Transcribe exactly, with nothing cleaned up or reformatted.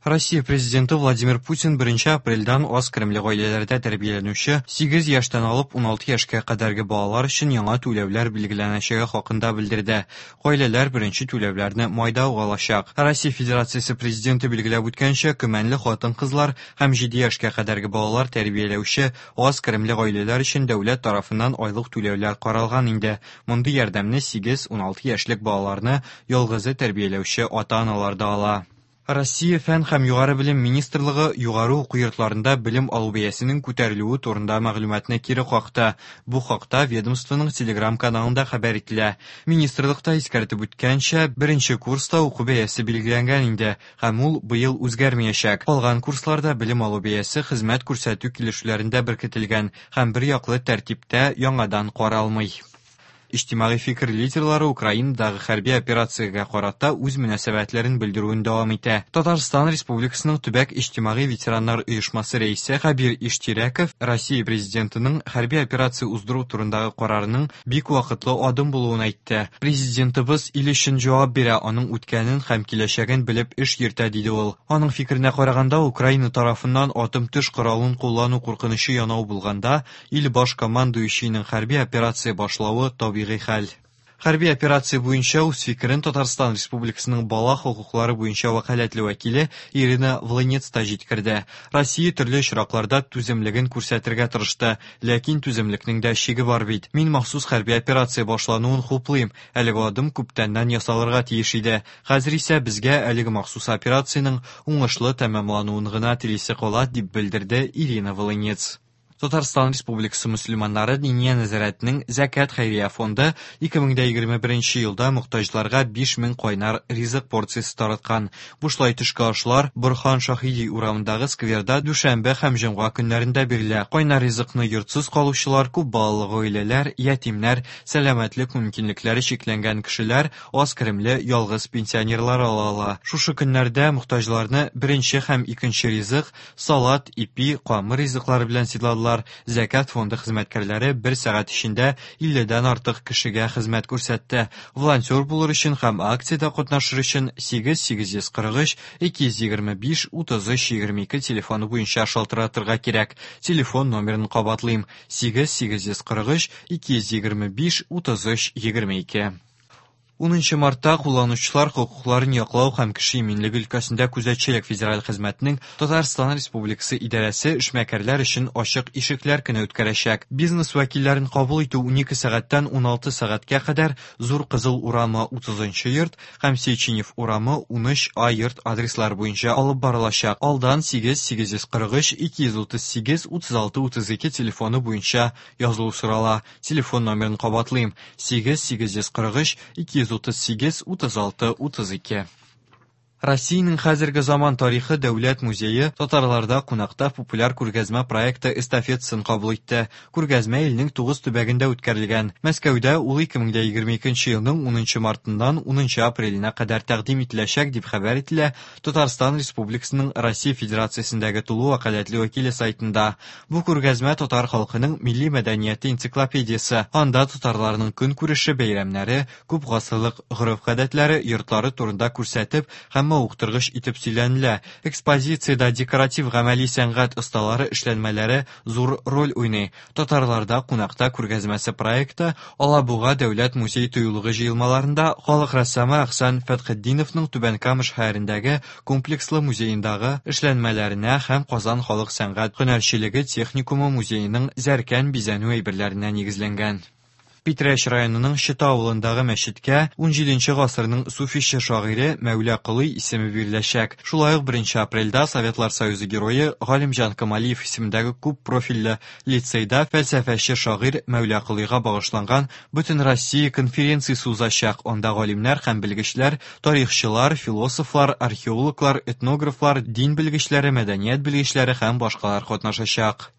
Россия Президенты Владимир Путин беренче апрельдән аз керемле гаиләләрдә тәрбияләнүче сигез яшьтән алып уналты яшькә кадәрге балалар өчен яңа түләүләр билгеләнәчәге хакында белдерде. Гаиләләр беренче түләүләрне майда ук алачак. Россия Федерациясе Президенты билгеләп үткәнчә, көмәнле хатын-кызлар һәм җиде яшькә кадәрге балалар тәрбияләүче аз керемле гаиләләр өчен дәүләт тарафыннан айлык түләүләр каралган инде. Мондый ярдәмне сигез-уналты яшьлек балаларны ялгызы тәрбияләүче ата-аналар да ала. Россия Фән һәм югары белем министрлыгы югары уку йортларында белем алу бәясенең күтәрелүе турында мәгълүматны кире какты. Бу хакта ведомствоның Telegram каналында хәбәр ителә. Министрлыкта искәртеп үткәнчә, беренче курста уку бәясе билгеләнгән инде һәм ул быел үзгәрмәячәк. Калган курсларда белем алу бәясе хезмәт күрсәтү килешүләрендә беркетелгән һәм бер яклы тәртиптә яңадан каралмый. Иҗтимагый фикер лидерлары Украинадагы хәрби операциягә карата үз мөнәсәбәтләрен белдерүен дәвам итә. Татарстан Республикасының төбәк иҗтимагый ветераннар оешмасы рәисе Хәбир Иштирәков Россия Президентының хәрби операция уздыру турындагы карарының бик вакытлы адым булуын әйтте. Президентыбыз ил өчен җавап бирә, аның үткәнен һәм киләчәген белеп эш йөртә, диде ул. Аның фикеренә караганда, Украина тарафыннан атом-төш коралын куллану куркынычы янау булганда, ил баш командующийның хәрби операция башлавы табигый хәл. Хәрби операция буенча үз фикерен Татарстан Республикасының бала хокуклары буенча вәкаләтле вәкиле Ирина Волынец та җиткерде. Россия төрле очракларда түземлеген күрсәтергә тырышты, ләкин түземлекнең дә чиге бар бит. Мин махсус хәрби операция башлануын хуплыйм. Әлеге адым күптәннән ясалырга тиеш иде. Хәзер исә безгә әлеге махсус операциянең уңышлы тәмамлануын гына телисе кала, дип белдерде Ирина Волынец. Татарстан Республикасы мөселманнары Диния нәзарәтенең Зәкят хәйрия фонды ике мең дә егерме беренче елда мохтаҗларга биш мең кайнар ризык порциясе тараткан. Бушлай төшке ашлар Борһан Шаһиди урамындагы скверда дүшәмбе һәм җомга көннәрендә бирелә. Кайнар ризыкны йортсыз калучылар, күп балалы гаиләләр, ятимнәр, сәламәтлек мөмкинлекләре чикләнгән кешеләр, аз керемле ялгыз пенсионерлар ала ала. Шушы көннәрдә мохтаҗларны беренче һәм икенче ризык, салат, ипи, камыр ризыклары белән сыйладылар. Зәкят фонды хезмәткәрләре бер сәгать эчендә илледән артык кешегә хезмәт күрсәтте. Волонтер булыр өчен һәм акциядә катнашыр өчен сигез сигез йөз кырык өч ике йөз егерме биш утыз өч егерме ике телефоны буенча шалтыратырга кирәк. Телефон номерын кабатлыйм: сигез сигез йөз кырык өч ике йөз егерме биш утыз өч егерме ике. Унынчы мартта кулланучылар хокукларын яклау һәм кеше иминлеге өлкәсендә күзәтчелек федераль хезмәтенең Татарстан Республикасы идарәсе эшмәкәрләр өчен ачык ишекләр көне үткәрәчәк. Бизнес вәкилләрен кабул итү унике сәгатьтән уналты сәгатькә кадәр Зур Кызыл урамы утызынчы йорт һәм Сеченев урамы унөч А йорт адреслары буенча алып барылачак. Алдан сигез сигез йөз кырык өч ике йөз утыз сигез утыз алты утыз ике телефоны буенча язылу сорала. Телефон номерын кабатлыйм: сигез сигез йөз кырык өч ике йөз утыз сигез утыз алты утыз ике. Россиянең хәзерге заман тарихы дәүләт музее татарларда кунакта популяр күргәзмә проекты эстафетасын кабул итте. Күргәзмә илнең тугыз төбәгендә үткәрелгән. Мәскәүдә ул ике мең дә егерме икенче елның унынчы мартыннан унынчы апреленә кадәр тәкъдим ителәчәк, дип хәбәр ителә Татарстан Республикасының Россия Федерациясендәге тулы вәкаләтле вәкиле сайтында. Бу күргәзмә татар халкының милли мәдәнияте энциклопедиясе. Анда татарларның көнкүреше, бәйрәмнәре, күп гасырлык гореф-гадәтләре, йортлары турында күрсәтеп һәм мавыктыргыч итеп сөйләнелә. Экспозициядә декоратив гамәли сәнгать осталары эшләнмәләре зур роль уйный. Татарларда кунакта күргәзмәсе проекты Алабуга дәүләт музей тыюлыгы җыелмаларында халык рәссамы Әхсән Фәтхетдиновның Түбән Кама шәһәрендәге комплекслы музеендагы эшләнмәләренә һәм Казан халык сәнгать һөнәрчелеге техникумы музееның зәркән бизәнү әйберләренә нигезләнгән. Питрәч районының Чыта авылындагы мәчеткә унҗиденче гасырның суфище шагыйре Мәүлә Колый исеме биреләчәк. Шулай ук беренче апрельдә Советлар Союзы герое Галимҗан Камалиев исемендәге күп профильле лицейда фәлсәфәче шагыйрь Мәүлә Колыйга багышланган Бөтенроссия конференциясе узачак. Анда галимнәр һәм белгечләр, тарихчылар, философлар, археологлар, этнографлар, дин белгечләре, мәдәният белгечләре һәм башкалар катнашачак.